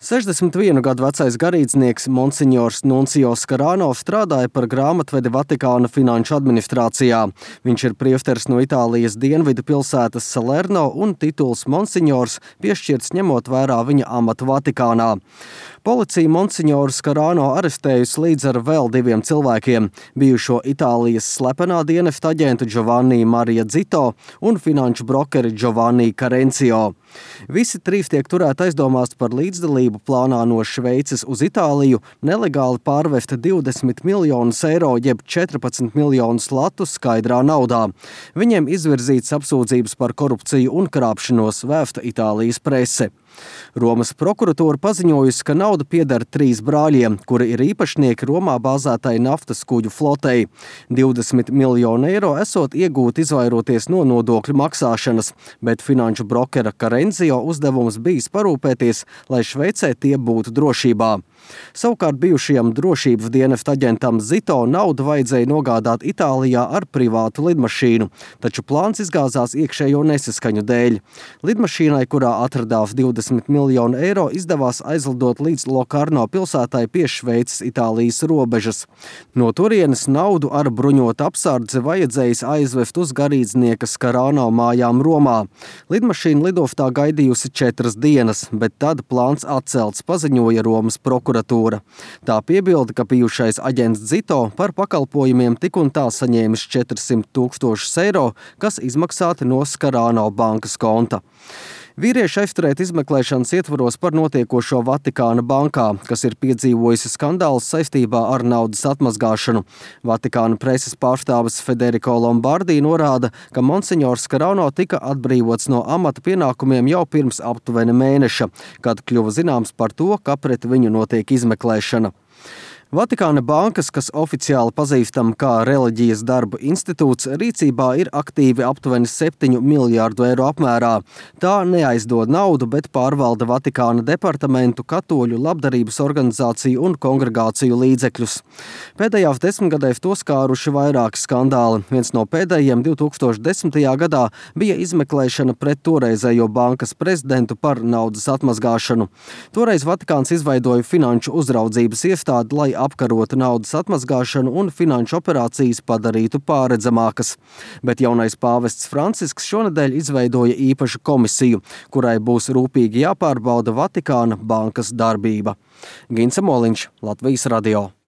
61 gadu vecais garīdznieks Monsignors Nuncio Scarano strādāja par grāmatvedi Vatikāna finanšu administrācijā. Viņš ir priesteris no Itālijas dienvidu pilsētas Salerno un tituls Monsignors piešķirts ņemot vērā viņa amatu Vatikānā. Policija Monsignoru Scarano arestējusi līdz ar vēl 2 cilvēkiem – bijušo Itālijas slepenā dienesta aģentu Giovanni Maria Zito un finanšu brokeri Giovanni Carencio. Visi 3 tiek turēti aizdomās par līdzdalību plānā no Šveices uz Itāliju nelegāli pārvest 20 miljonus eiro jeb 14 miljonus latu skaidrā naudā. Viņiem izvirzīts apsūdzības par korupciju un krāpšanos, vēsta Itālijas prese. Romas prokuratūra paziņojusi, ka nauda pieder 3 brāļiem, kuri ir īpašnieki Romā bāzētai naftas kuģu flotei. 20 miljonu eiro esot iegūti izvairoties no nodokļu maksāšanas, bet finanšu brokera Carencio uzdevums bijis parūpēties, lai Šveicē tie būtu drošībā. Savukārt bijušajam drošības dienesta aģentam Zito naudu vajadzēja nogādāt Itālijā ar privātu lidmašīnu, taču plāns izgāzās iekšējo nesaskaņu dēļ. Lidmašīnai, kurā atradās 20 miljonu eiro, izdevās aizlidot līdz Locarno pilsētai pie Šveices Itālijas robežas. No turienes naudu ar bruņotu apsardzi vajadzējis aizvest uz garīdznieka Scarano mājām Romā. Lidmašīna lidoftā gaidījusi 4 dienas, bet tad plāns atcelts, paziņoja Romas prokuratūra. Tā piebilda, ka bijušais aģents Zito par pakalpojumiem tik un tā saņēmis 400 000 eiro, kas izmaksāti no Scarano bankas konta. Vīrieši aizturēti izmeklēšanas ietvaros par notiekošo Vatikāna bankā, kas ir piedzīvojusi skandālus saistībā ar naudas atmazgāšanu. Vatikāna preses pārstāvis Federico Lombardi norāda, ka Monsignors Scarano tika atbrīvots no amata pienākumiem jau pirms aptuveni mēneša, kad kļuva zināms par to, ka pret viņu notiek izmeklēšana. Vatikāna bankas, kas oficiāli pazīstama kā Reliģijas darba institūts, rīcībā ir aktīvi aptuveni 7 miljārdu eiro apmērā. Tā neaizdod naudu, bet pārvalda Vatikāna departamentu, katoļu labdarības organizāciju un kongregāciju līdzekļus. Pēdējās 10 gadēs to skāruši vairāki skandāli. Viens no pēdējiem 2010. gadā bija izmeklēšana pret toreizējo bankas prezidentu par naudas atmazgāšanu. Toreiz Vatikāns izveidoja finanšu uzraudzības iestādi, lai apkarotu naudas atmazgāšanu un finanšu operācijas padarītu pārredzamākas. Bet jaunais pāvests Francisks šonedēļ izveidoja īpašu komisiju, kurai būs rūpīgi jāpārbauda Vatikāna bankas darbība. Gints Moliņš, Latvijas radio.